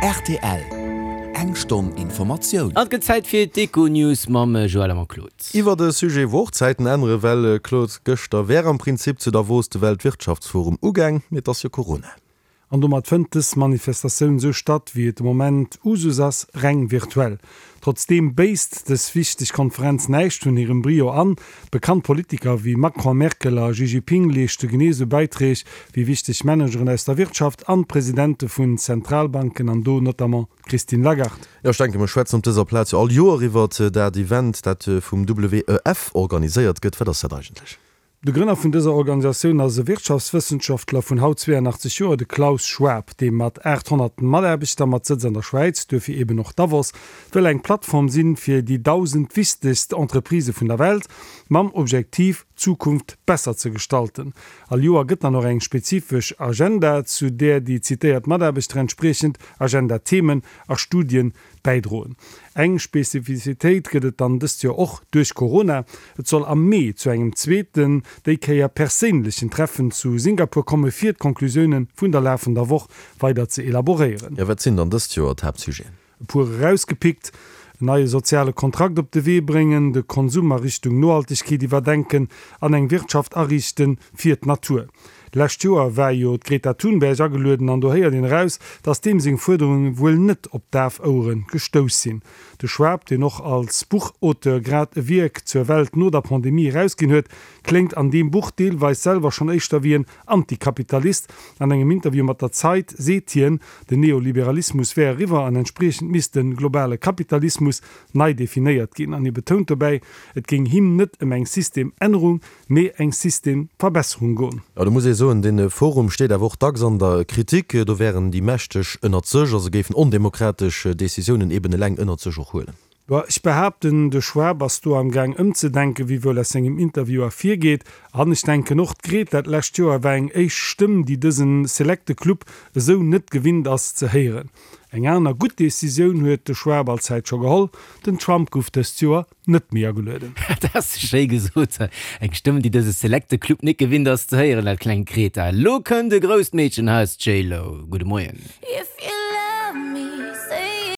Rtl, Eng Stonn Informatioun. An et gëtt Zäit fir d'Econews mam Joël a mam Claude. Iwwert e Sujet, wou och d'Zäiten ännere well, Claude, gëschter wär am Prinzip zu Davos de Weltwirtschaftsforum ugaang, mee et ass jo Corona. An domat fënnt dës Manifestatioun sou statt, wéi et de Moment Usus ass, reng virtuell. Trotzdeem béisst dës wichteg Konferenz näischt vun hirem Brio an. Bekannt Politiker wéi Macron, Merkel a Xi Jinping leeschte genee sou Bäiträg wéi wichteg Manageren aus der Wirtschaft an d'Presidente vun Zentralbanken, an do notamment d'Christine Lagarde. Jo, ech denken, mir schwätzen op dëser Plaz jo all Joer iwwert dat Event, dat vum WEF organiséiert gëtt. Wat ass dat eigentlech? De Grënner vun dëser Organisatioun ass e Wirtschaftswëssenschaftler vun haut 82 Joer, de Klaus Schwab, dee mat 800 Mataarbechter mat Sëtz an der Schwäiz, duerfir eben och Davos, wëll eng Plattform sinn fir déi 1.000 wichtegst Entreprisë vun der Welt, mam Objektiv d'Zukunft besser ze gestalten. All Joer gëtt dann och eng spezifesch Agenda, zu där déi zitéiert Mataarbechter entspriechend Agenda-Themen a Studien Bäidroen. Eng Spezifizitéit gëtt et dann dëst Joer och duerch Corona, Et soll am Mee zu engem zweeten, déi Kéier perséinlechen Treffen zu Singapur komme fir d'Conclusioune vun der lafender Woch weider ze elaboréieren. Jo, wat sinn dann dëst Joer d'Haaptsujeten? E puer erausgepickt, en neie soziale Kontrakt op de Wee bréngen, de Konsum a Richtung Nohaltegkeet iwwerdenken an eng Wirtschaft ariichte fir d'Natur. D'lescht Joer war jo d'Greta Thunberg agelueden an do héiert een eraus, datt deem seng Fuerderunge wuel net op daf Ouere gestouss sinn. De Schwab, deen och als Buchauteur grad e Wierk zur Welt no der Pandemie erausginn huet, kléngt an deem Buch deelweis selwer schonn éischter wéi en Antikapitalist. An engem Interview mat der Zeit seet hien, den Neoliberalismus wär eriwwer an entspriechend misst de globale Kapitalismus nei definéiert ginn. An hie betount dobäi, et géing him net ëm eng Systemännerung, mee eng Systemverbesserung goen. Jo, do muss ee soen, dee Forum steet awer och dacks an der Kritik. Do wären déi Mächteg ënnert sech a se géifen ondemokratesch Decisiounen eben eleng ënnert sech och huelen. Bon, ech behaapten, de Schwab ass do am Gaang ëmzedenken, wéi wuel aus sengem Interview ervirgeet. An ech denken och, d'Greta d'lescht Joer war eng éischt Stëmm, déi dëse selekte Club esou net gewinnt ass ze héieren. Eng aner gutt Decisioun huet de Schwab allzäit scho geholl, den Trump gouf dëst Joer net méi agelueden. Dat ass schéi gesot. Eng Stëmm, déi dëse selekte Club net gewinnt ass ze héieren, dat klengt Greta. Elo kënnt e grousst Meedchen, hei ass d'J-Lo. Gudde Moien.